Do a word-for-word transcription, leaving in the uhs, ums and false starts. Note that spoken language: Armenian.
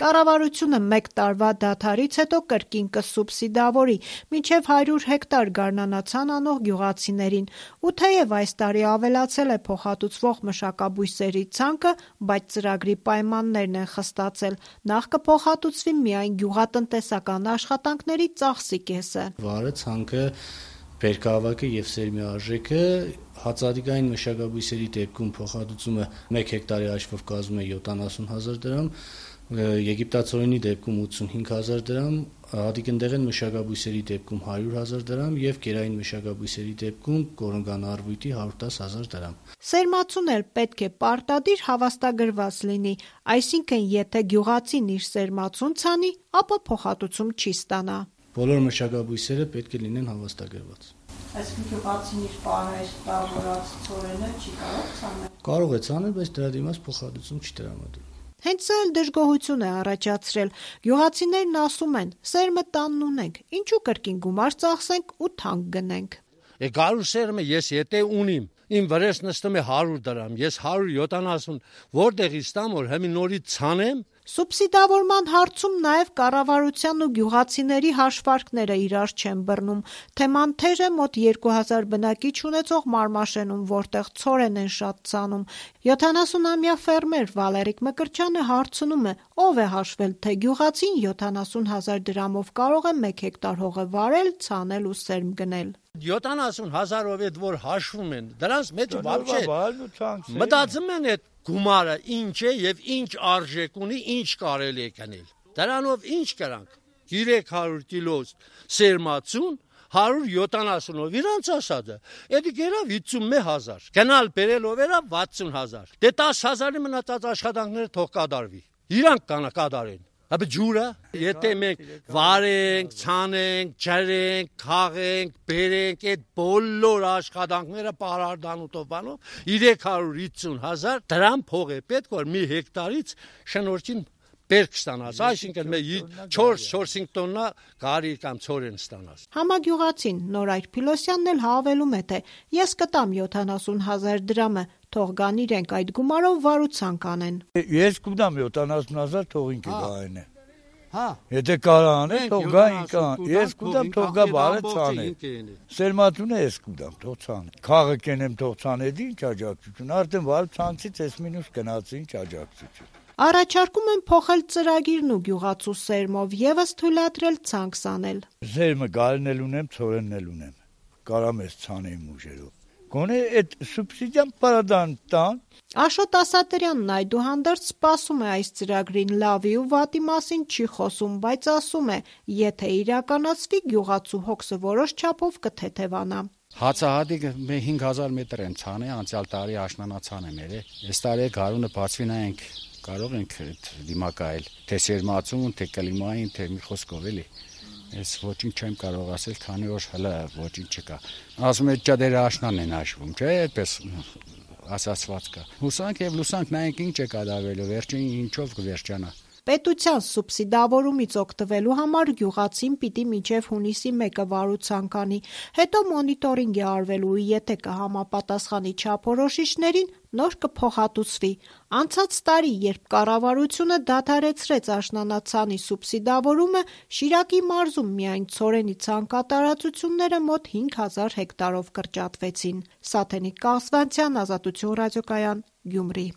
Կառավարությունը մեկ տարվա դադարից հետո կրկին կսուբսիդավորի մինչև հարյուր հեկտար գարնանացան անող գյուղացիներին, ու թեև այս տարի ավելացել է փոխհատուցվող մշակաբույսերի ցանկը, բայց ծրագրի պայմաններն են խստացել, նախ կփոխհատուցվի միայն գյուղատնտեսական աշխատանքների ծախսի կեսը։ Վարը, ցանկը, բերքահավաքը եւ սերմի արժեքը հացադիկային մշակաբույսերի դեպքում փոխհատուցումը մեկ հեկտարի հաշվով կազմում է յոթանասուն հազար դրամ, եգիպտացորենի դեպքում ութսունհինգ հազար դրամ, հատիկնդեղեն մշակաբույսերի դեպքում հարյուր հազար դրամ եւ կերային մշակաբույսերի դեպքում կորնգանարվույթի հարյուր տասը հազար դրամ։ Սերմացուն էլ պետք է պարտադիր հավաստագրված լինի, այսինքն եթե գյուղացին իր սերմացուն ցանի, ապա փոխհատուցում չի ստանա։ Բոլոր մշակաբույսերը պետք է լինեն հավաստագրված։ Այսինքն գյուղացին իր պարահայտավորած ցորենը չի կարող ցանել։ Կարող է ցանել, բայց դրա դիմաց փոխհատուցում չի տրամադրում։ Հենց սա էլ դժգոհություն է առաջացրել։ Գյուղացիներն ասում են՝ սերմը տանն ունենք, ինչու կրկին գումար ծախսենք ու թանկ գնենք։ Գարու սերմը ես եթե ունիմ, իմ վրես նստում է հարյուր դրամ, ես հարյուր յոթանասուն, որտեղից տամ, որ հիմա նորից ցանեմ։ Սուբսիդավորման հարցում նաև կառավարության ու գյուղացիների հաշվարկները իրար չեն բռնում։ Թեման թեժ է մոտ երկու հազար բնակիչ ունեցող Մարմաշենում, որտեղ ցորեն են շատ ցանում։ յոթանասունամյա ֆերմեր Վալերիկ Մկրտչյանը հարցնում է, ով է հաշվել, թե գյուղացին յոթանասուն հազար դրամով կարող է մեկ հեկտար հողը վարել, ցանել ու սերմ գնել։ յոթանասուն հազարով այդ որ հաշվում են, դրանց մեջ բավ չէ։ Մտածում են այդ գումարը ինչ է եւ ինչ արժեք ունի, ինչ կարելի է գնել։ Դրանով ինչ կրանք։ երեք հարյուր կիլո սերմացուն, հարյուր յոթանասունով իրանց ասածը։ Էդի գերավ վաթսունմեկ հազար։ Գնալ բերելով era վաթսուն հազար։ Դե տասը հազարի մնացած աշխատանքները թող կատարվի։ Իրանք կանա կատարեն։ Ապա ջուրը, եթե մենք վարենք, ցանենք, ջրենք, քաղենք, բերենք այդ բոլոր աշխատանքները պարարդանուտով բանով երեք հարյուր վաթսուն հազար դրամ փող է պետք որ մի հեկտարից շնորհքին բերք ստանաս, այսինքն չորս-չորս-հինգ տոննա գարի կամ ցորեն ստանաս։ Համագյուղացին Նորայր Փիլոսյանն էլ հավելում է, թե ես կտամ յոթանասուն հազար դրամը, թող գան իրենք այդ գումարով վարուցանք անեն։ Ես կտամ յոթանասուն հազար, թող ինքը գային է։ Հա։ Եթե կարա անեն, թող գա ինքը։ Ես կտամ, թող գա բարը ցանը։ Սերմացունը ես կտամ, թող ցանը։ Խաղը կենեմ, թող ցանեդի, ինչ աջակցություն։ Արդեն վար ցանցից էս մինուս գնացի, ինչ աջակցություն։ Առաջարկում են փոխել ծրագիրն ու գյուղացու սերմով եւս թույլատրել ցանկ սանել։ Սերմը գալն էլ ունեմ, ցորենն էլ ունեմ։ Կարամ ես ցանեմ ուժերով։ Գոնե այդ սուբսիդիան պարադան տան։ Աշոտ Ասատրյանն այդուհանդերձ սպասում է այս ծրագրին լավի ու վատի մասին չի խոսում, բայց ասում է, եթե իրականացվի գյուղացու հոգսը որոշ չափով կթեթևանա։ Հացահատիկը հինգ հազար մետր են ցանել, անցյալ տարի աշնանացան եմ երը։ Այս տարի գարունը բացվի նայենք, կարող ենք դիմակայել, թե սերմացուն, թե կլիմային, թե մի խոսքով էլի։ Ես ոչինչ չեմ կարող ասել, քանի որ հələ ոչինչ չկա։ Ասում եմ ճադերը աշնանն են հաշվում, չէ՞, այդպես ասացված կա։ Հուսանք եւ լուսանք նայենք ինչ է կատարվելու, վերջին ինչով կվերջանա։ Պետության սուբսիդավորումից օգտվելու համար գյուղացին պիտի մինչև հունիսի մեկը վարուցանք անի, հետո մոնիտորինգ է արվելու ու եթե կհամապատասխանի չափորոշիչներին, նոր կփոխհատուցվի։ Անցած տարի, երբ կառավարությունը դադարեցրեց աշնանացանի սուբսիդավորումը, Շիրակի մարզում միայն ցորենի ցանկատարածությունները մոտ հինգ հազար հեկտարով կրճատվեցին։ Սաթենիկ Կաղզվանցյան, Ազատություն ռադիոկայան, Գյումրի։